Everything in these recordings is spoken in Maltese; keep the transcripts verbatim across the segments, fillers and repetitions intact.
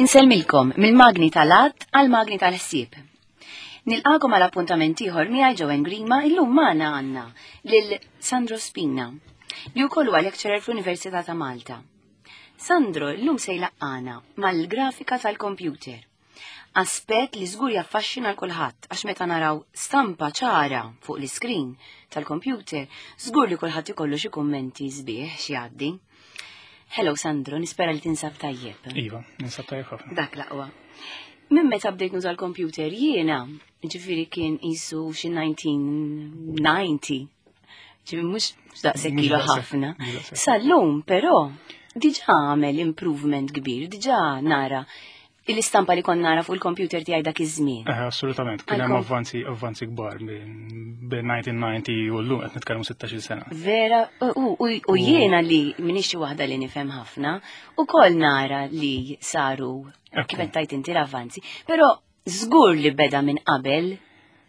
Insellmilkom mill-magni tal-għadd għal-magni tal-ħsieb. Nilqagħkom għal appuntament ieħor miegħi Joanne Grima. Illum magħna għandna lil Sandro Spina, li wkoll huwa lecturer fl-Università ta' Malta. Sandro llum se jlaqqagħna mal-grafika tal-computer. Aspett li żgur jaffaxxina 'l kulħadd, għax meta naraw stampa ċara fuq l-iskrin tal-computer, żgur li kulħadd ikollu xi kummenti sbieħ xi jgħaddi. Hello Sandro, nispera li tinsab tajjeb. Iva, ninsab tajjeb ħafna. Dak l-aqwa. Minn meta bdejt nuża l-computer jiena, ġifieri kien qisu xi elf disa' mija u disgħin, ġifieri mhux daqshekk Mhux ilu daqshekk, ħafna. Mhux daqshekk. Sal-lum però diġà għamel improvement kbir, diġà nara l-istampa li kont nara fuq il-computer tiegħi dak iż-żmien. Eh, assolutament, kien hemm Għal-kom- avvanzi avvanzi kbar minn bejn elf disa' mija u disgħin u llum qed nitkellmu sittax-il sena. Vera, u, u, u jiena li m'iniex xi waħda li nifhem ħafna, ukoll nara li saru Ekku. kif qed tajt inti l-avvanzi, però żgur li beda minn qabel,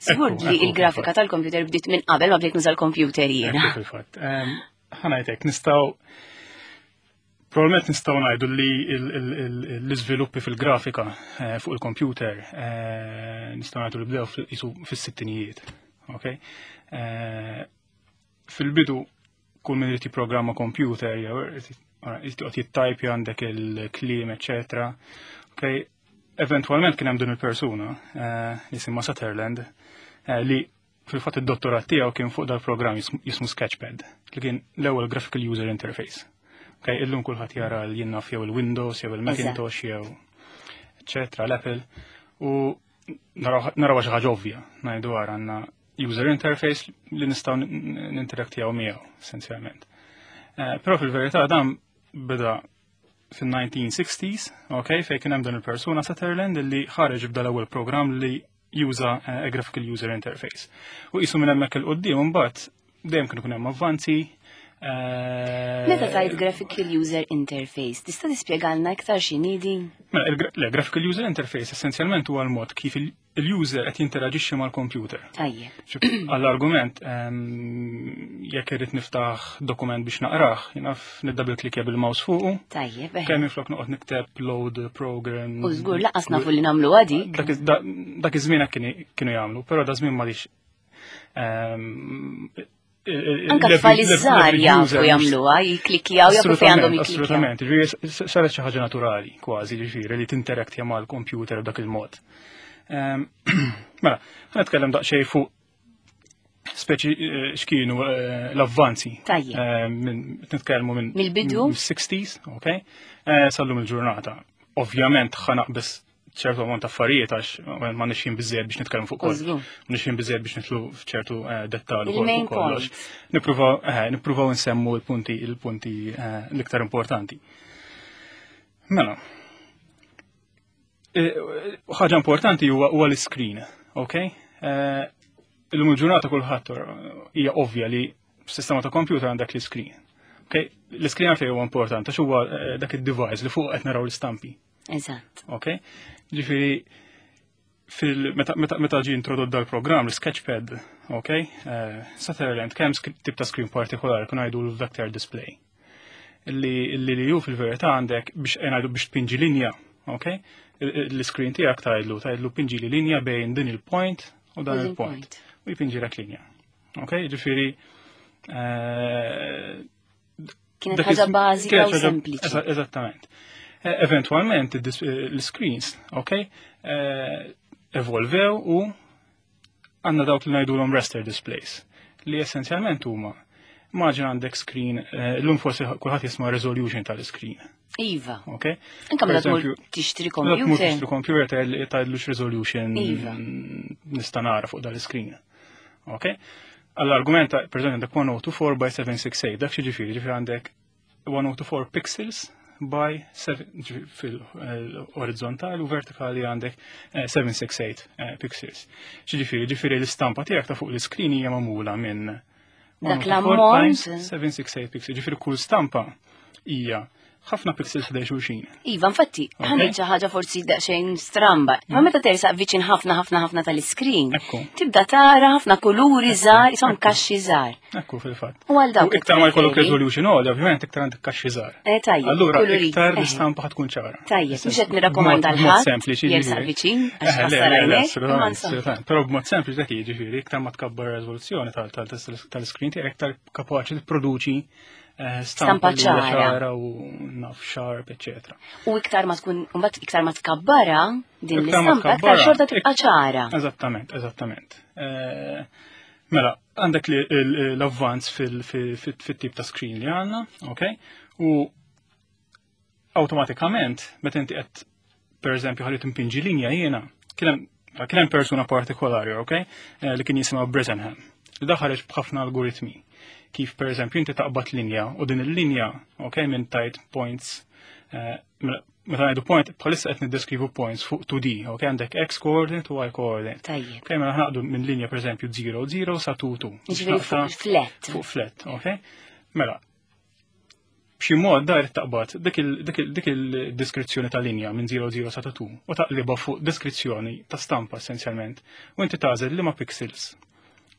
żgur Ekku, li ekku, il-grafika fil-fatt. tal-computer bdiet minn qabel ma bdejt nuża l-computer jiena. Ekku fil-fatt. Em, Ħa ngħidlek, nistgħu Probabilment nistgħu ngħidu li il- il- il- l-iżviluppi fil-grafika eh, fuq il-computer eh, nistgħu ngħidu li bdew fil- qisu fis-sittinijiet. Okay? Eh, Fil-bidu kull min irid jipprogramma computer jew irid irid joqgħod jittajpja, għandek il-kliem, eċetera. Okay? Eventualment kien hemm din il-persuna eh, jisimha Sutherland, eh, li fil-fatt id-dottorat tiegħu kien fuq dal-programm jismu jismu Sketchpad, li kien l-ewwel graphical user interface. Okay, illum kulħadd jara l jien naf jew il-Windows jew il-Macintosh jew eċetera, l-Apple, u naraw naraw xi ħaġa ovvja, ngħidu għara għandna user interface li nistgħu ninteraktjaw miegħu essenzjalment. Eh, Però fil-verità dan beda fil-nineteen sixties, ok, fejn kien hemm dan il-persuna Sutherland li ħareġ b'dan l-ewwel programm li juża eh, a graphical user interface. U qisu minn hemmhekk 'il quddiem imbagħad dejjem kienu kien hemm avvanzi. eh, Meta tajt graphical user interface, tista' tispjegalna iktar x'inhi din? Mela, il-gra- le, graphical user interface essenzjalment huwa l-mod kif il- il-user qed jinteraġixxi mal-computer. Tajjeb. Ġib, għall-argument, ehm, jekk irrid niftaħ dokument biex naqrah, jien naf niddouble klikja bil-mouse fuqu, Tajjeb, eh. kemm minflok noqgħod nikteb load program. U żgur lanqas nafu li nagħmlu għadik. Dak iż- da- Dak iż-żmien hekk kienu kienu jagħmlu, però da żmien m'għadix ehm, Anka tfal iż-żgħar jafu jagħmluha, jiklikjaw, jafu fejn għandhom jiklikjaw. Assolutament, ġifieri saret xi ħaġa naturali kważi, ġifieri li tinteraktja mal-computer b'dak il-mod. Ehm, Mela, ħa nitkellem daqsxejn fuq speċi eh, x'kienu eh, l-avvanzi. Tajjeb. Eh, minn- Nitkellmu minn Mill-bidu? mill-sixties, ok? Eh, Sal-lum il-ġurnata. Ovvjament ħa naqbeż ċertu ammont ta' affarijiet għax ma nixin biżżejjed biex nitkellmu fuq kollox. Żgur. Nixin biżżejjed biex nidħlu f'ċertu eh, dettal ukoll Il-main fuq kollox. points. Nippruvaw eh, nippruvaw nsemmu l-punti il-punti eh, l-iktar importanti. Mela. Eh, ħaġa importanti huwa huwa l-screen, ok? Eh, Illum il-ġurnata kulħadd hija ovvja li f'sistema ta' computer għandek l-screen. Ok, l-screen għalfejn huwa importanti għax huwa eh, dak id-device li fuq qed naraw l-istampi. Eżatt. Ok? Ġifieri fil meta meta meta ġie introdott dal-programm, l-Sketchpad, ok? Eh, Sutherland kemm tip ta' screen partikolari kun ngħidu l-vector display. Illi illi li ju fil-verità għandek biex ngħidu biex tpinġi linja, ok? L-screen tiegħek tgħidlu tgħidlu pinġi li linja bejn din il-point u dan il-point. U jpinġi lek linja. Ok? Ġifieri eh, Kienet ħaġa bażika u sempliċi. Eżattament. Eh, eventualment l-screens, ok, eh, evolvew u għandna dawk li ngħidulhom raster displays, li essenzjalment huma immaġina għandek screen, l-lum forsi kulħadd jisma' resolution tal-screen. Iva. Ok? Anka meta tmur tixtri computer. Tmur tixtri computer tgħidlux resolution Iva. nista' nara fuq dal-screen. Ok? Għall-argument, per eżempju, għandek one oh two four by seven six eight, dak xi ġifieri, ġifieri għandek one oh two four pixels by seven fil-orizzontali u vertikali għandek seven six eight eh, pixels. Ġifieri, ġifieri l-istampa tiegħek ta' fuq l-screen hija magħmula minn Dak l-ammont. seven six eight pixels. Ġifieri kull stampa hija Ħafna pixels ħdej xulxin. Iva, infatti, ħa ngħid xi ħaġa forsi daqsxejn stramba. Ma meta tersaq viċin ħafna ħafna ħafna tal-iskrin, Ekku. tibda tara ħafna kuluri żgħar, isom kaxxi żgħar. Ekku fil-fatt. U għal dawk U iktar ma jkollok preferi. resolution għolja, ovvjament iktar għandek kaxxi żgħar. Eh, tajjeb, Allura kuluri. iktar Eh. l-istampa ħa tkun ċara. Tajjeb, mhux qed nirrakkomanda B'mod- l b'mod ħadd sempliċi, jersaq ġifieri. viċin, għax Eh, le, ħassar le, le, għajnek, imma assolutament, insomma. assolutament. Però b'mod sempliċi dak jiġifieri, iktar ma tkabbar reżoluzzjoni tal- tal- tal-screen tiegħek, iktar kapaċi tipproduċi eh, Stampa stampa li hija ċara. ċara u naf sharp, eccetera. U iktar ma tkun, mbagħad iktar ma tkabbara din Iktar ma l-istampa, iktar tkabbarha, xorta tibqa' ċara. Eżattament, eżattament. Eh, Mela, għandek li l- l-avvanz fil-tip ta' screen li għandna, ok? U automatikament, meta inti qed per eżempju ħalli timpinġi linja jiena, kien hemm kien hemm persuna partikolari, ok? Eh, Li kien jisimha Bresenham. Li da ħareġ b'ħafna algoritmi. Kif per eżempju inti taqbad linja u din il-linja, ok, minn tajt points, eh, mela, meta ngħidu point, bħalissa qed niddeskrivu points fuq two D, ok, għandek x coordinate u y coordinate. Tajjeb. Ok, mela naqdu minn linja per eżempju zero zero sa two two. Jiġifieri fuq flat. Fuq flat, ok? Mela, b'xi mod dar taqbad dik il- dik il- dik il-deskrizzjoni ta' linja minn zero zero sa two u taqliba fuq deskrizzjoni ta' stampa essenzjalment. U inti tagħżel liema pixels.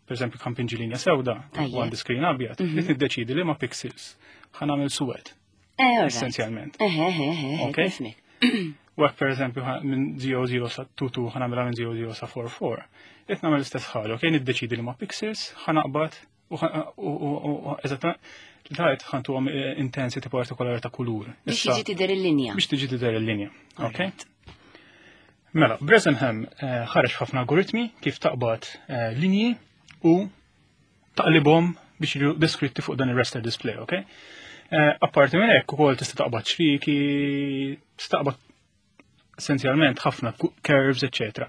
Per eżempju, kan pinġi linja sewda Tajjeb. u għandi screen abjad, li tiddeċidi liema pixels ħa nagħmel suwed, Eh, all right. essenzjalment. Eh, eh, eh, eh, Ok. nifhmek. U hekk per eżempju ħa- minn zero zero sa two two ħa nagħmilha minn zero zero sa four four. Qed nagħmel l-istess ħaġa, ok, niddeċidi liema pixels ħa naqbad u ħa- u u- u eżattament tajt ħa ntuhom eh, intensity partikolari ta' kulur. Biex Issa- jiġi tidher il-linja. Biex tiġi tidher il-linja. Ok? Alright. Mela, Bresenham eh, ħareġ ħafna algoritmi kif taqbad eh, linji u taqlibhom biex jiġu deskritti fuq dan il-raster display, ok? Eh, Apparti minn hekk ukoll tista' taqbad ċriki, tista' taqbad essenzjalment ħafna ku- curves, eccetera.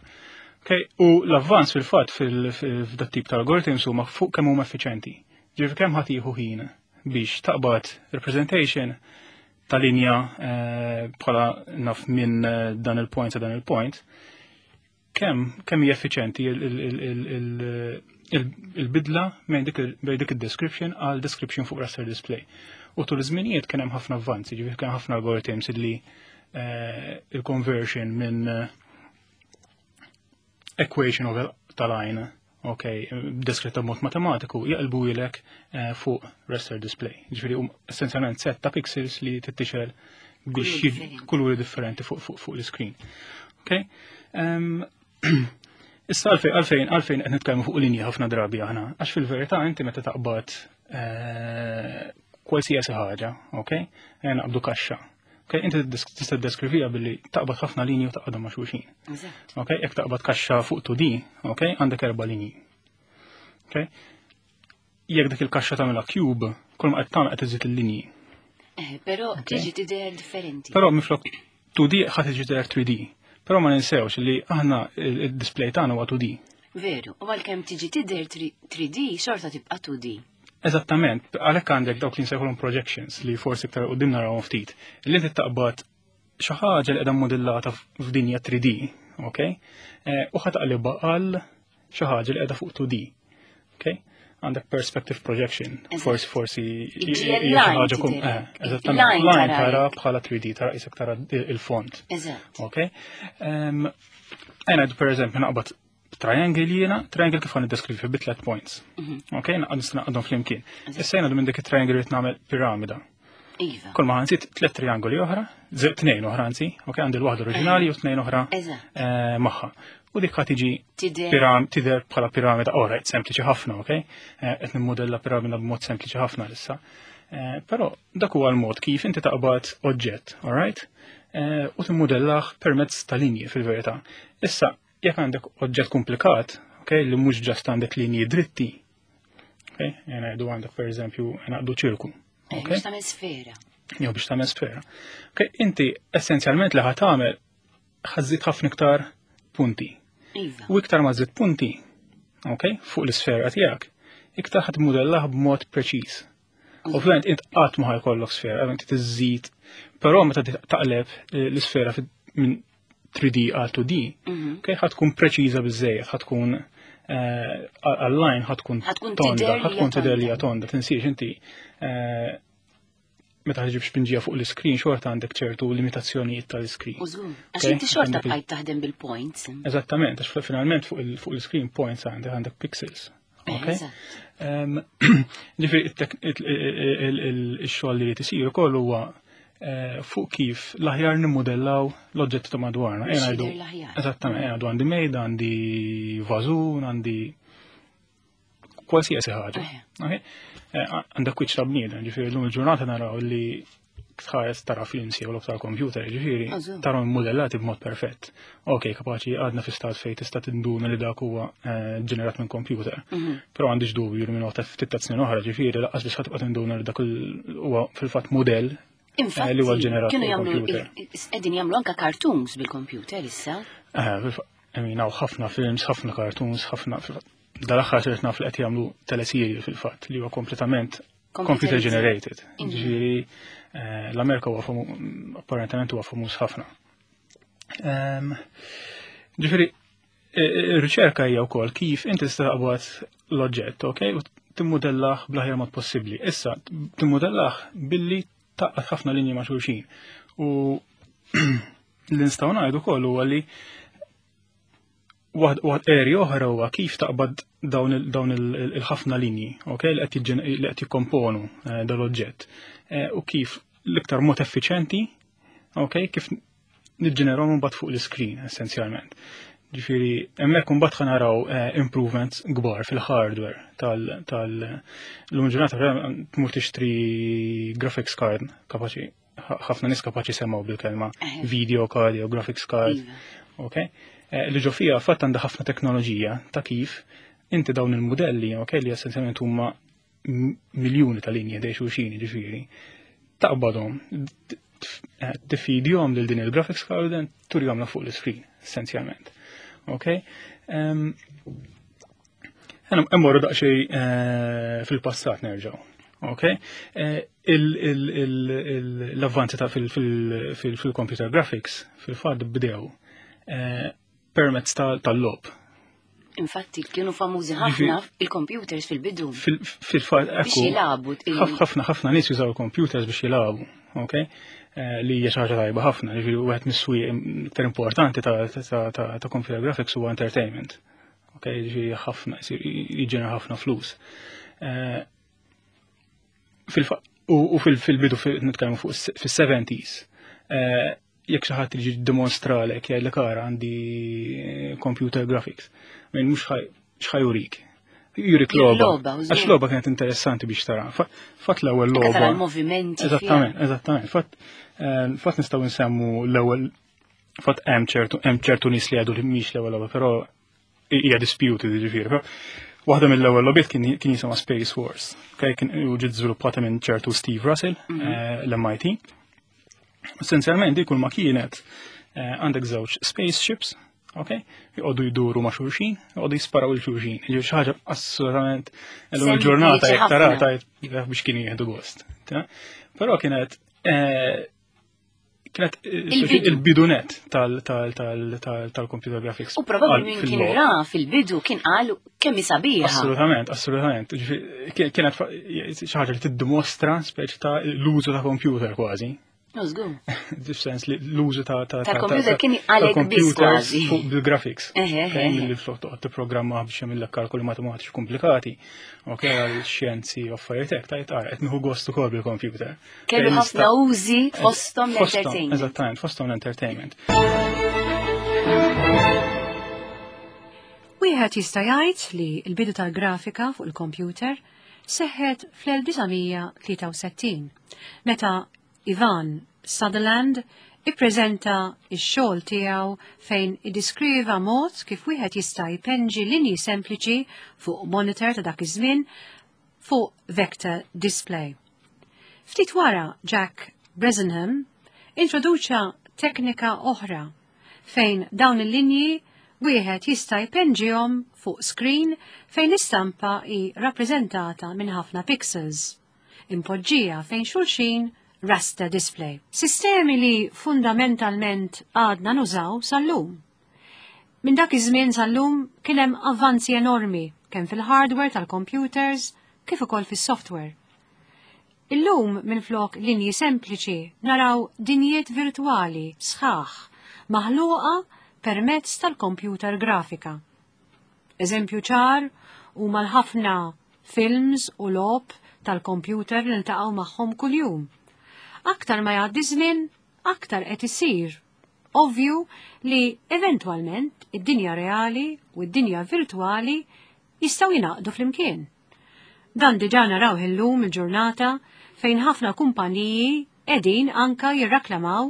Ok, u l-avvanz fil-fatt fil-dat tip ta' algoritms huma fuq kemm huma effiċenti. Ġifieri kemm ħadd jieħu ħin biex taqbad representation ta' linja eh, bħala naf minn eh, dan il-point sa dan il-point, kemm kemm hija effiċenti il- il- il- il- il- il-bidla bejn dik il- bejn dik id-description għal description fuq raster display. U tul iż-żminijiet kien hemm ħafna avvanzi, ġifieri kien ħafna algorithms illi eh, il-conversion minn eh, equation of ta' line, ok, deskritta b'mod matematiku, jaqlbu jilek eh, fuq raster display. Ġifieri um, essenzjalment set ta' pixels li tittixel biex Kuluri jiġ- differenti. kuluri differenti fuq fuq fuq l-screen. Ok? Em, Issa għalfejn għalfejn għalfejn qed nitkellmu fuq linji ħafna drabi aħna, għax fil-verità inti meta taqbad eh, kwalsiasi ħaġa, ok? Eh, Naqbdu kaxxa. Ok, inti tista' ddeskrivija billi taqbad ħafna linji u taqbadhom ma' xulxin. Eżatt. Ok, jekk taqbad kaxxa fuq two D, ok, għandek erba' linji. Ok? Jekk dik il-kaxxa tagħmilha cube, kull ma qed tagħmel qed iżid il-linji. Eh, però tiġi tidher differenti. Però minflok two D ħa tiġi tidher three D. Però ma ninsewx li aħna il-display tagħna huwa two D. Veru, u għalkemm tiġi tidher three D xorta tibqa' two D. Eżattament, għalhekk għandek dawk li nsejħulhom projections li forsi iktar quddiem narawhom ftit. Li inti taqbad xi ħaġa li qiegħda modellata f'dinja three D, ok? Eh, U ħa taqlibha għal xi ħaġa li qiegħda fuq two D. Ok? Għandek perspective projection, Eżatt. forsi forsi Iġi hija xi l-line ħaġa kum- tidher. eh, eżattament, Line line tara tara hekk. bħala three D, tara qisek tara il-font. Eżatt. Ok? Um, Ejna, per eżempju, naqbad triangle jiena, triangle kif ħa niddeskrivi bi tlet points. Ok, naqbad nista' naqbadhom flimkien. Issa jiena minn dik it-triangle rrid nagħmel piramida. Iva. Kull ma ħa nżid tlet triangoli oħra, ze- tnejn oħra anzi, ok, għandi l-waħda oriġinali u tnejn oħra Eżatt. eh, magħha. U dik ħa tiġi Tidher. piram, tidher bħala piramida, alright, sempliċi ħafna, ok? Eh, Qed nimmodella piramida b'mod sempliċi ħafna issa. Eh, Però dak huwa l-mod kif inti taqbad oġġett, alright? Eh, U timmodellah permezz ta' linji fil-verità. Issa, jekk għandek oġġett komplikat, ok, li mhux just għandek linji dritti, ok? Ngħidu għandek per eżempju naqdu ċirku, Eh, ok? Biex tagħmel sfera. Jew biex tagħmel sfera. Ok, inti essenzjalment li ħa tagħmel ħa żżid ħafna iktar punti. Iva. U iktar ma żżid punti, ok, fuq l-isfera tiegħek, iktar ħa tmudellah b'mod preċiż. Ovvjament int qatt ma ħa jkollok sfera, inti tiżżid, però meta taqleb eh, l-isfera fi- minn three D għal two D, Mhm. ok, ħa tkun preċiża biżejjed, ħa tkun eh, għall-line ħa tkun Ħa tkun tonda, tidher li ħa tkun hija tidher li hija tonda. tonda, tinsiex inti eh, meta ġib xpinġija fuq l-screen xorta għandek ċertu limitazzjonijiet tal-screen. U żgur. Għax inti xorta bqajt taħdem bil-points. Eżattament, għax finalment fuq il-screen points għandek għandek pixels. Okay? Ġifieri il-xogħol li tisir ukoll huwa eh, fuq kif l-aħjar nimmodellaw l-oġġetti ta' madwarna. Eżattament, ngħidu għandi mejda, għandi vażun, għandi qualsiasi ħaġa. Eh, għandek wiċċ ta' bniedem, ġifieri llum il-ġurnata naraw li tħares tara films jew logħob tal-computer, ġifieri tarahom modellati b'mod perfett. Ok, kapaċi għadna fi stat fejn tista' tinduna li dak huwa eh, ġenerat minn computer. Mhm. Però għandix dubju li minn waqt ftit ta' snin oħra, ġifieri lanqas biss ħa tibqa' tinduna li dak huwa fil-fatt modell eh, li huwa ġenerat kienu jagħmlu qegħdin jagħmlu anke cartoons bil-computer issa. Eh, I mean, ħafna films, ħafna cartoons, ħafna dal-aħħar sirt naf li qed jagħmlu teleserje fil-fatt li huwa kompletament computer generated. Mhm. Ġifieri eh, l-Amerika huwa apparentement huwa famuż ħafna. Ġifieri ir-riċerka hija wkoll kif inti tista' taqbad l-oġġett, ok, u timmodellah bl-aħjar mod possibbli. Issa, timmodellah billi tgħaqqad ħafna linji ma' xulxin. U li nistgħu ngħidu wkoll huwa li waħd area oħra huwa kif taqbad dawn il-ħafna linji, ok, li qed jikkomponu eh, dal-oġġett. Eh, u kif l-iktar mod effiċenti, ok, kif niġġeneraw mbagħad fuq l-screen essenzjalment. Ġifieri, hemmhekk imbagħad ħa naraw eh, improvements kbar fil-hardware tal tal-lum ġurnata tmur tixtri graphics card kapaċi ħafna nies kapaċi semgħu bil-kelma video card jew graphics card. Iva. Ok? Eh, li ġo fija fatt għandha ħafna teknoloġija ta' kif inti dawn il-modelli, ok, li essenzjalment huma miljuni ta' linji ħdejn xulxin, ġifieri, taqbadhom, eh, tifidjhom lil din il-graphics card turihom fuq l-screen, essenzjalment. Ok? Emmorru daqsxejn eh, fil-passat nerġgħu. Ok? L-avvanzi ta' fil-computer graphics fil-fatt bdew permezz tal-logħob. Infatti, kienu famużi ħafna il-computers fil-bidu. Fil-fatt, Biex jilagħbu. ħafna ħafna nies jużaw il-computers biex jilagħbu, ok? Eh, li hija xi ħaġa tajba ħafna, ġifieri wieħed mis-swieq iktar importanti ta' computer graphics huwa entertainment. Ok, ġifieri ħafna jiġġenera ħafna flus. Eh, u fil-bidu nitkellmu fuq fis-seventies, eh, jekk xi ħadd jiġi dimostralek jgħidlek ara għandi computer graphics. Min mhux x'ħa jurik. Jurik logħba. Għax logħba kienet interessanti biex tara. Fatt l-ewwel logħba. Movimenti. Eżattament, eżattament. Fatt eh, fatt nistgħu nsemmu l-ewwel fatt hemm ċertu hemm ċertu nies li għadu li mhix l-ewwel logħba, però hija disputed ġifieri. Waħda mill-ewwel logħbiet kien jisimha Space Wars. Kien u ġiet żviluppata minn ċertu Steve Russell, mhm. eh, l-M I T. Essenzjalment di kull ma kienet eh, għandek żewġ spaceships, ok? Joqogħdu jduru ma' xulxin, joqogħdu jisparaw lil xulxin. Ġifieri xi ħaġa assolutament illum il-ġurnata jekk tara tgħid biex kienu jieħdu gost. Però kienet eh, kienet eh, il-bidunet tal-computer graphics. U probabli min kien ra fil-bidu kien qal kemm sabiħa. Assolutament, assolutament. Kienet xi ħaġa li tiddimostra speċi ta' l-użu ta' computer kważi. Żgur. Sens li l-użu ta' ta' tal-computer kien għalek biss kważi. Fuq bil-graphics. Milli flok toqgħod tipprogramma biex jagħmel kalkoli matematiċi komplikati. Ok, għal xjenzi u affarijiet hekk tajt ara qed nieħu gost ukoll bil-computer. Kellu ħafna użi, fosthom l-entertainment. Eżattament, fosthom l-entertainment. Wieħed jista' jgħid li l-bidu tal-grafika fuq il-computer seħħet fl-elf disa' mija tlieta u sittin meta Ivan Sutherland ippreżenta x-xogħol tiegħu fejn iddiskriva mod kif wieħed jista' jpenġi linji sempliċi fuq monitor ta' dak iż-żmien fuq vector display. Ftit wara, Jack Bresenham introduċa teknika oħra fejn dawn il-linji wieħed jista' jpenġihom fuq screen fejn l-istampa hi rappreżentata minn ħafna pixels impoġġija fejn xulxin, raster display. Sistemi li fundamentalment għadna nużaw sal-lum. Minn dak iż-żmien sal-lum kien hemm avvanzi enormi kemm fil-hardware tal-computers kif ukoll fis-software. Illum minflok linji sempliċi naraw dinjiet virtwali sħaħ maħluqa permezz tal-computer grafika. Eżempju ċar huma l-ħafna films u logħob tal-computer li niltaqgħu magħhom kuljum. Aktar ma jgħaddi żmien, aktar qed isir ovvju li eventwalment id-dinja reali u d-dinja virtwali jistgħu jingħaqdu flimkien. Dan diġà naraw illum il-ġurnata fejn ħafna kumpaniji qegħdin anka jirraklamaw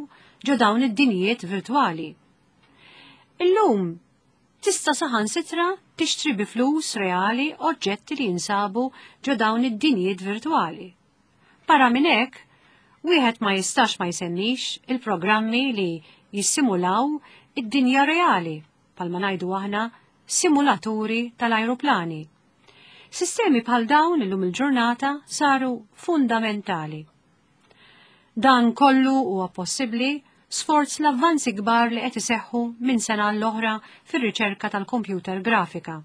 ġo dawn id-dinjiet virtwali. Illum tista' saħansitra tixtri bi flus reali oġġetti li jinsabu ġo dawn id-dinjiet virtwali. Barra minn hekk, wieħed ma jistax ma jsemmix il-programmi li jissimulaw id-dinja reali, bħalma ngħidu aħna simulaturi tal-ajruplani. Sistemi bħal dawn illum il-ġurnata saru fundamentali. Dan kollu huwa possibbli sforz l-avvanzi kbar li qed iseħħu minn sena l-oħra fir-riċerka tal-computer grafika.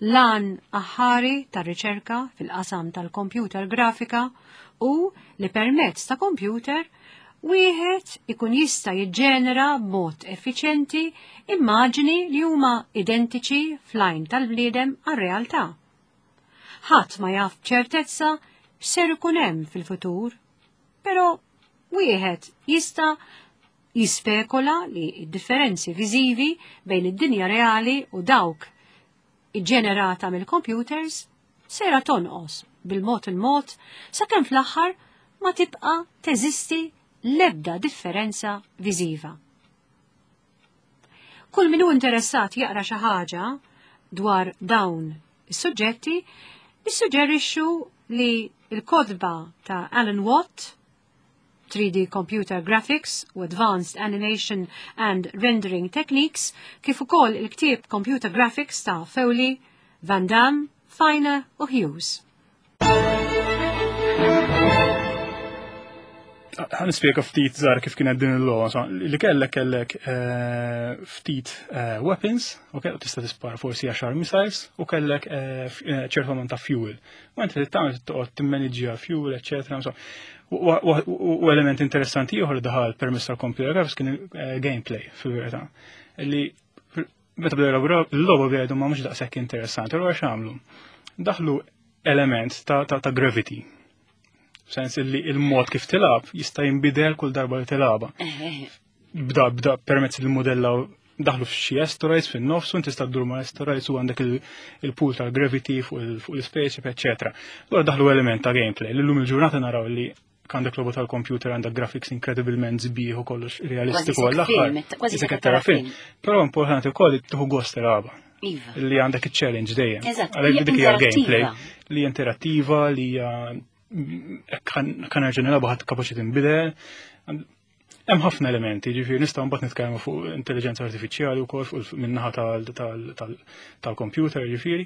L-għan aħħari tar-riċerka fil-qasam tal-computer grafika u li permezz ta' computer wieħed ikun jista' jiġġenera b'mod effiċjenti immaġini li huma identiċi fl-għajn tal-bniedem għar-realtà. Ħadd ma jaf b'ċertezza x'ser ikun hemm fil-futur, però wieħed jista' jispekola li d-differenzi viżivi bejn id-dinja reali u dawk iġġenerata mill-computers sera tonqos bil-mod il-mod sakemm fl-aħħar ma tibqa' teżisti l-ebda differenza viżiva. Kull min hu interessat jaqra xi ħaġa dwar dawn is-suġġetti, nissuġġerixxu li l-kotba ta' Alan Watt, three D Computer Graphics u Advanced Animation and Rendering Techniques, kif ukoll il-ktieb Computer Graphics ta' Foley, Van Damme, Feiner u Hughes. Ħa nispjega ftit żgħar kif kienet din il-logħba. Li kellek kellek eh, ftit eh, weapons, ok, u tista' tispara forsi għaxar missiles, u kellek eh, ċertu ammont ta' fuel. U inti tagħmel toqgħod timmaniġġja fuel, eċetera. U element interessanti ieħor daħal permezz tal-computer graphics kien gameplay fil-verità. Li meta bdew il-logħba bdew ma mhux daqshekk interessanti, allura x'għamlu? Daħlu element ta' gravity. Sens li il-mod kif tilab jista' jinbidel kull darba li tilaba. Bda bda permezz il-modella daħlu f'xi asteroids fin-nofs u tista' ddur ma' asteroids u għandek il-pool tal-gravity fuq il-spaceship, eċetera. Allura daħlu element ta' gameplay. Illum il-ġurnata naraw li għandek logħba tal-computer, għandek graphics inkredibilment sbieħ u kollox realistiku għall-aħħar. Kważi qed tara film. Però importanti wkoll li tieħu gost tilaba. Iva. Li għandek il-challenge dejjem. Eżatt. Għalhekk dik hija gameplay li interattiva, li hija kan nerġa' nilagħbu ħadd kapaċi tinbidel. Hemm ħafna elementi, ġifieri nistgħu mbagħad nitkellmu fuq intelligenza artifiċjali wkoll fuq min-naħa tal-computer, ġifieri.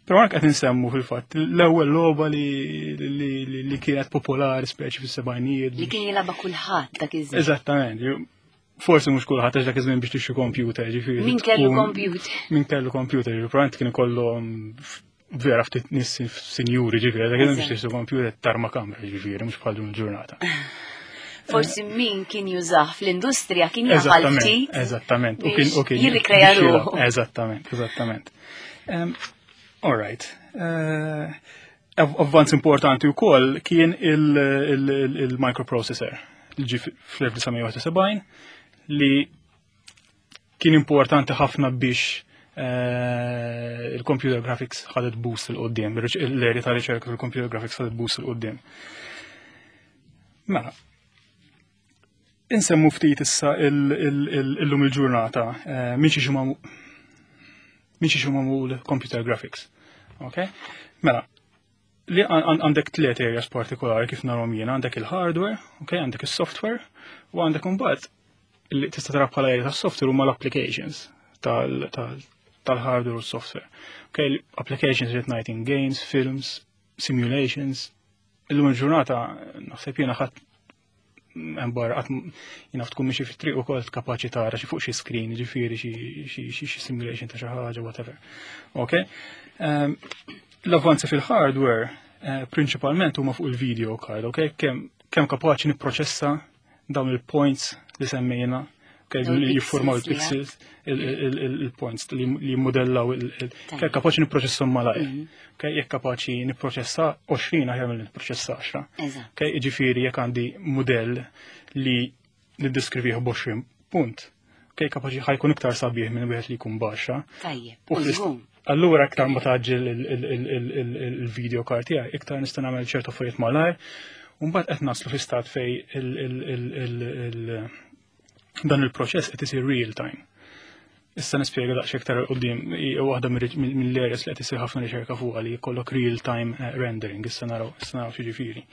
Però anke qed insemmu fil-fatt l-ewwel logħba li kienet popolari speċi fis-sebgħinijiet. Li kien jilagħba kulħadd dak iż-żmien. Eżattament. Forsi mhux kulħadd għax dak iż-żmien biex tixtri computer, ġifieri. Min kellu computer. Min kellu computer, ġifieri probabbilment kien ikollhom vera ftit nies sinjuri, ġifieri, dak iż-żmien biex tixtri computer tarma kamra, ġifieri, mhux bħal dun il-ġurnata. Forsi min kien jużah fl-industrija kien jafal ftit. Eżattament. U kien u kien jirrikreja ruħu. Eżattament, eżattament. All right. Avvanz importanti wkoll kien il-microprocessor li ġie fl-elf disa' mija u sebgħin li kien importanti ħafna biex il-computer graphics ħadet boost 'il quddiem, l-area ta' riċerka fil-computer graphics ħadet boost 'il quddiem. Mela, insemmu ftit issa illum il-ġurnata minn xi minn xi magħmul computer graphics. Ok? Mela, li għandek tliet areas partikolari kif narhom jiena, għandek il-hardware, ok, għandek il-software, u għandek imbagħad li tista' tara bħala area tas-software huma l-applications tal-hardware u s-software. Ok, applications li ngħid in games, films, simulations. Illum il-ġurnata naħseb jiena ħadd hemm barra qatt jiena tkun mixi fit-triq ukoll kapaċi tara xi fuq xi screen, ġifieri xi simulation ta' xi ħaġa, whatever. Ok? L-avvanzi fil-hardware Eh, Prinċipalment huma fuq il-video card, ok? Kemm kemm kapaċi nipproċessa dawn il-points li semmejna, ok, Dawn li jiffurmaw il-pixels il-pixels, il- il- il-points li li jimmodellaw il- il- Tajjeb. kemm kapaċi nipproċesshom malajr. Mhm. Ok, jekk kapaċi nipproċessa għoxrin aħjar milli nipproċessa għaxra. Eżatt. Ok, ġifieri jekk għandi modell li niddeskrivih b'għoxrin punt, ok, kapaċi ħa jkun iktar sabiħ minn wieħed li jkun b'għaxra. Tajjeb. U U fl-ist- żgur. Allura iktar ma tgħaġġel il- il- il- il- il- il-video card tiegħi, iktar nista' nagħmel ċertu affarijiet malajr. U mbagħad qed naslu fi stat fej il- il- il- il- il- dan il-proċess qed isir real time. Issa nispjega daqsxejn iktar quddiem hija waħda mill-areas li qed isir ħafna riċerka fuqha li jkollok real time eh, rendering, issa naraw issa naraw x'jiġifieri.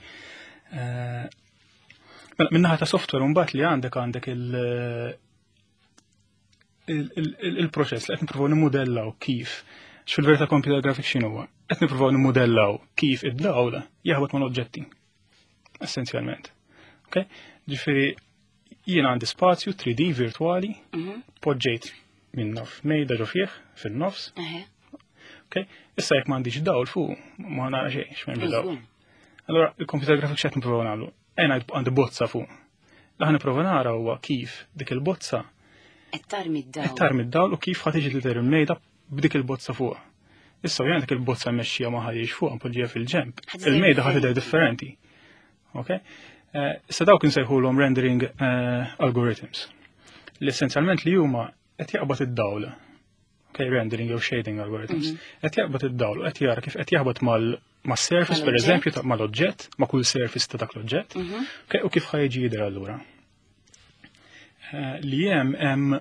Eh, Mela, min-naħa ta' software mbagħad li għandek għandek il- il- il- il-proċess li qed nippruvaw nimmudellaw kif x'fil-verità computer graphics x'inhu huwa. Qed nippruvaw nimmudellaw kif id-dawl jaħbط mal-oġġetti. Essenzjalment. Ok? Ġifieri jien għandi spazju three D virtuali, Mhm. poġġejt minn naf mejda ġo fih fil-nofs, Eħe. ok? Issa jekk m'għandix dawl fuq, ma nara xejn, x'm'hemmx dawl. Żgur. Allora, il-computer graphics x'qed nipprovaw nagħmlu? Ejna għandi bozza fuq. Li ħa nipprova nara huwa kif dik il-bozza Qed tarmi d-dawl. qed tarmi d-dawl u kif ħa tiġi tidher il-mejda b'dik il-bozza fuq. Issa jien dik il-bozza mmexxija ma ħadix fuq npoġġiha fil-ġemp. Ħa tidher Il-mejda ħa tidher differenti. Ok? Eh, Issa dawk insejħulhom rendering eh, algorithms. Li essenzjalment li huma qed jaqbad id-dawl. Ok, rendering jew shading algorithms. Qed jaqbad id-dawl u qed jara kif qed jaħbad mal ma' surface per Mal-oġġett. eżempju ta' mal-oġġett, ma' kull surface ta' dak l-oġġett. Mhm. Ok, u kif ħa jiġi jidher allura. Eh, Li hemm hemm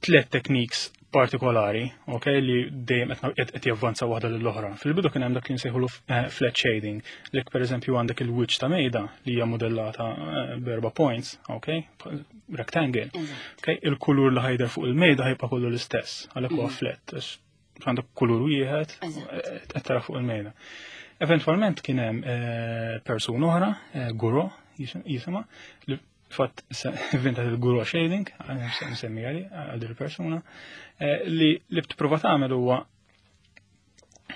tliet techniques partikolari, ok, li dejjem qed qed javvanza waħda lill-oħra. Fil-bidu kien hemm dak li nsejħulu eh, flat shading, li per eżempju għandek il-wiċċ ta' mejda li hija modellata eh, b'erba' points, ok, rectangle. Eżatt. Ok, il-kulur li ħa jidher fuq il-mejda ħa jibqa' kollu l-istess, għalhekk huwa flat, għax għandek kulur wieħed Eżatt. qed tara fuq il-mejda. Eventwalment kien hemm eh, persuna oħra, eh, Gouraud jisimha, li fatt inventat il-Gouraud shading, nsemmi għali għal din il-persuna, eh, li li tipprova tagħmel huwa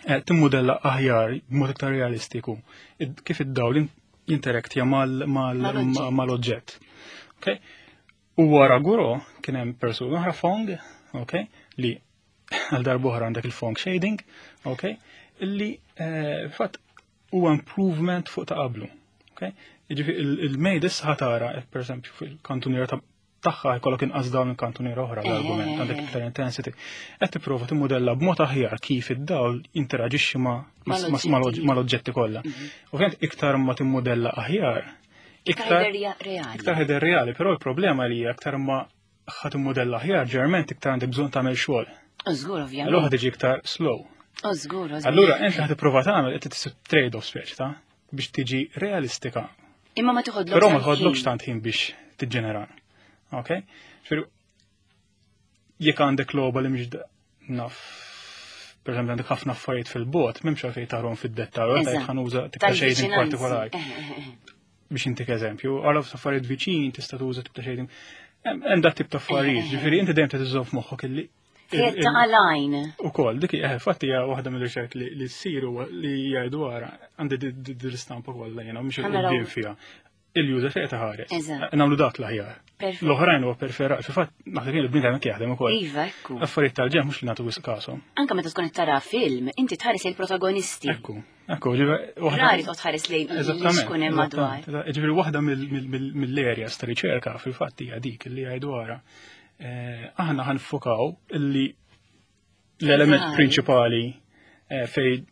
eh, timmodella aħjar b'mod iktar realistiku id- kif id-dawl jinteraktja mal- mal- Mal-oġġett. mal-oġġett. Ok? U wara Gouraud kien hemm persuna oħra Phong, ok, li għal darb'oħra għandek il-Phong shading, ok, illi eh, fatt huwa improvement fuq ta' qablu. Ok? Jiġifieri il-mejda issa ħa tara, per eżempju, fil-kantuniera ta' tagħha jkollok inqas dawn il-kantuniera oħra l-argument, Eh. għandek iktar intensity. Qed tipprova timmodella b'mod aħjar kif id-dawl jinteraġixxi ma' ma- Mal-oġġetti. mal- mal-oġġetti kollha. Ovvjament iktar ma timmodella aħjar, Iktar jidher reali. iktar jidher reali, però l-problema li hija iktar ma ħa timmodella aħjar, ġeneralment iktar għandek bżonn tagħmel xogħol. U żgur Allura ovvjament. ħa tiġi iktar slow. U żgur, u żgur. Allura inti ħa tipprova tagħmel qed tisib trade-off speċi ta' biex tiġi realistika. Imma ma toħodlok. Però ma tħodlokx tant ħin biex tiġġenera. Ok? Ġifieri jekk għandek logħba li mhix naf per eżempju għandek ħafna affarijiet fil-bogħod, m'hemmx għalfejn tarahom fid-dettall, għalfejn Eżatt. ħa nuża tip ta' shading Tal-viċinanzi. partikolari. Eh, eh, eh. Biex intik eżempju, għara affarijiet viċin tista' tuża tip ta' shading. Hemm hemm dat tip ta' affarijiet, ġifieri inti dejjem trid f'moħħok illi Qiegħed ta' għalajn. U kol, dik eh, fatti hija waħda mill-riċerk li li ssiru li jgħidu wara għandi di- di- di l-istampa kollha jiena mhux Ħa naraw. il-quddiem fiha. Il-user fejn taħares. Eżatt. Nagħmlu dak l-aħjar. Perfett. L-oħrajn huwa preferat. Fil-fatt naħseb jien il-bniedem hekk jaħdem ukoll. Iva, ekku. Affarijiet tal-ġenb mhux li nagħtu wisq kasom. Anka meta tkun qed tara film, inti tħares il-protagonisti. Ekku, ekku, ġifieri waħda. Rari toqgħod tħares lejn li Eżattament. xkun hemm madwar. eżattament. Ġifieri waħda mill-areas ta' riċerka fil-fatt hija dik li jgħidu wara. Eh, Aħna ħa niffukaw illi l-element Eżatt. prinċipali eh, fej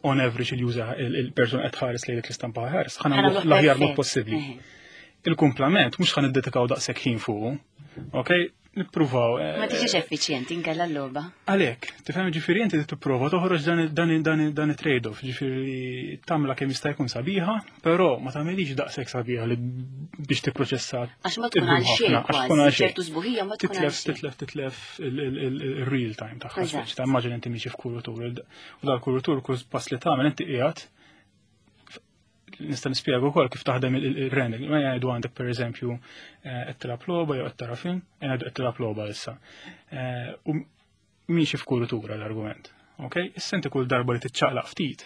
on average il-user il-person qed tħares lejn dik l-istampa ħares, ħa nagħmluh nagħmluh l-aħjar mod perfett. possibbli. Eħe. Il-kumplament mhux ħa niddedikaw daqshekk ħin fuq, ok? Nippruvaw. eh, Ma tiġix effiċjenti inkella l-logħba. Għalek, tifhem ġifieri inti tipprova toħroġ dan dan dan dan it-trade-off, ġifieri tagħmilha kemm jista' jkun sabiħa, però ma tagħmilix daqshekk sabiħa li biex tipproċessa. Għax ma tkun għal xejn ħafna, għax tkun kważi, għal xejn. ċertu sbuħija ma tkun għal Titlef, xejn. titlef, titlef il-real time tagħha. Eżatt. Speċi ta' immaġin inti miexi f'kurutur. U dal-kurutur kull pass li tagħmel inti qiegħed nista' nispjega wkoll kif taħdem il-rendering. Ma jgħidu għandek pereżempju eh, qed tilgħab logħba jew qed tara film, jgħidu qed tilgħab logħba issa. Eh, U miexi f'kurutura l-argument. Ok? Issa inti kull darba li tiċċaqlaq ftit,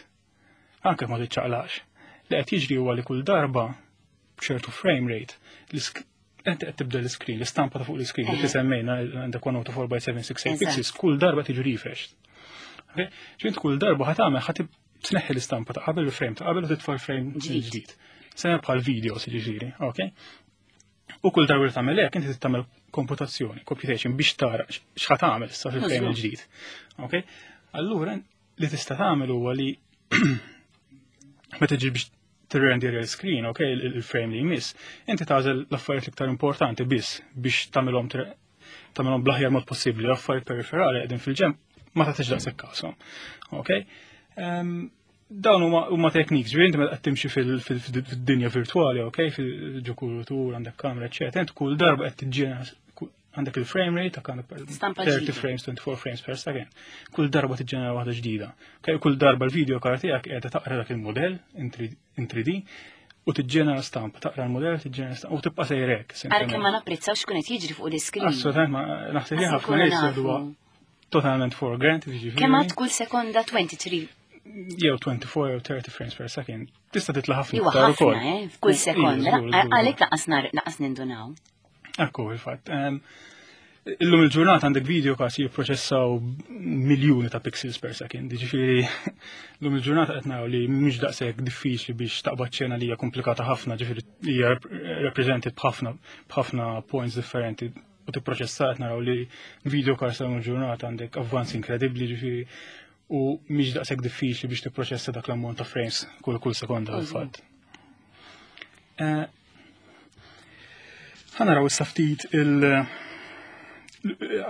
anke ma tiċċaqlaqx, li qed jiġri huwa li kull darba b'ċertu frame rate, l-isk- inti qed tibda l-screen, l-istampa ta' fuq l-screen, li Eh. semmejna għandek one oh four by seven sixty-eight Eżatt. pixels, kull darba tiġi refreshed. Ok? Ġint kull darba ħa tagħmel ħa tib- tneħħi l-istampa ta' qabel, il-frame ta' qabel, u titfa' l-frame ġdid. ġdid. Sena bħal videos, ġifieri, ok? U kull darba li tagħmel hekk inti tagħmel komputazzjoni, computation, biex tara x'ħa tagħmel issa fil-frame Mażgur. il-ġdid. Ok? Allura li tista' tagħmel huwa li meta ġi biex tirrender il-screen, ok, il- il-frame li jmiss, inti tagħżel l-affarijiet l-iktar importanti biss biex tagħmilhom tagħmilhom tagħmilhom bl-aħjar mod possibbli, l-affarijiet periferali qegħdin fil-ġenb ma tagħtix daqshekk kashom. Ok? Ehm, dawn huma huma techniques, ġifieri inti meta qed timxi fil- fil- fid-dinja virtuali, ok, fil-ġokurutur, għandek kamera, eċetera, inti kull darba qed tiġġenera għandek il-frame rate, għandek Stampa thirty ġdida. frames, twenty-four frames per second. Kull darba tiġġenera waħda ġdida. Ok, kull darba l-video card tiegħek qiegħda taqra dak il-modell in three D u tiġġenera stampa, taqra l-modell, tiġġenera stampa u tibqa' sejrek. Ara kemm ma napprezzawx kun qed jiġri fuq l-iskrin. Assolutament, ma naħseb li Qas ħafna inkunu nies nafu. jgħiduha totalment for granted, jiġifieri. Kemm għad kull sekonda twenty-three Jew twenty-four jew thirty frames per second. Tista' titla' ħafna Iwa iktar ħafna, ukoll. eh, f'kull Iva, sekonda. żgur, żgur, Għalhekk lanqas nar lanqas nindunaw. Ekku, il-fatt. Em, Illum il-ġurnata għandek video cards jipproċessaw miljuni ta' pixels per second. Ġifieri, illum il-ġurnata qed naraw li mhix daqshekk diffiċli biex taqbad ċena li hija komplikata ħafna, ġifieri hija represented b'ħafna b'ħafna points differenti u tipproċessa. Qed naraw li video cards tal ġurnata għandek avvanzi inkredibbli, ġifieri, u mhix daqshekk diffiċli biex tipproċessa dak l-ammont ta' frames kull kull sekonda fil-fatt. Eh, Ħa naraw issa ftit il-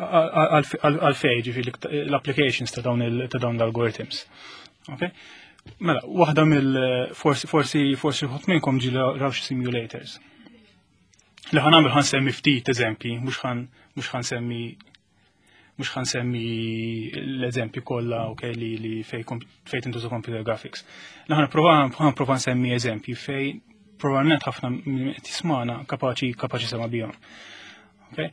għalfej, ġifieri, l-applications ta' dawn il- ta' dawn l-algorithms. Okay? Mela, waħda mill forsi forsi forsi ħut minnkom ġi raw xi simulators. Li ħa nagħmel, ħa nsemmi ftit eżempji, mhux ħan mhux ħa nsemmi mhux ħa nsemmi l-eżempji kollha, okay, li li fej kom- fej tintuża computer graphics. Li ħa nipprova ħa nipprova nsemmi eżempji fej probabbilment ħafna minn qed jismana kapaċi kapaċi sema bihom. Okay?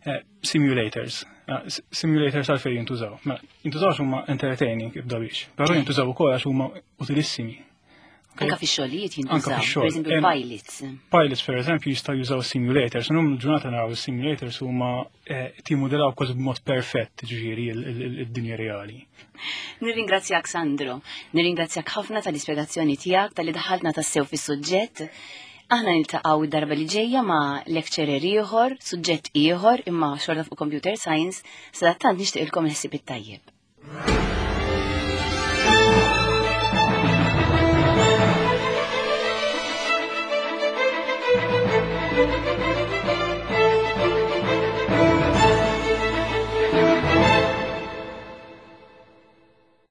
Eh, simulators. Eh, s- simulators għalfejn jintużaw? Mela, jintużaw għax huma entertaining ibda biex, però jintużaw ukoll għax huma utilissimi. Okay? Anka fix-xogħlijiet Anka jintużaw. fix-xogħol. Per eżempju Em, pilots. Pilots, per eżempju, jistgħu jużaw simulators. Illum il-ġurnata naraw simulators huma eh, timudelaw kważi b'mod perfett, ġifieri, il-dinja reali. Nirringrazzjak, Sandro, nirringrazzjak ħafna tal-ispjegazzjoni tiegħek, tal-li daħaltna tassew fis-suġġett. Aħna niltaqgħu id-darba li ġejja ma' lecturer ieħor, suġġett ieħor imma xorta fuq computer science, sadattant nixtieqilkom il-ħsieb it-tajjeb.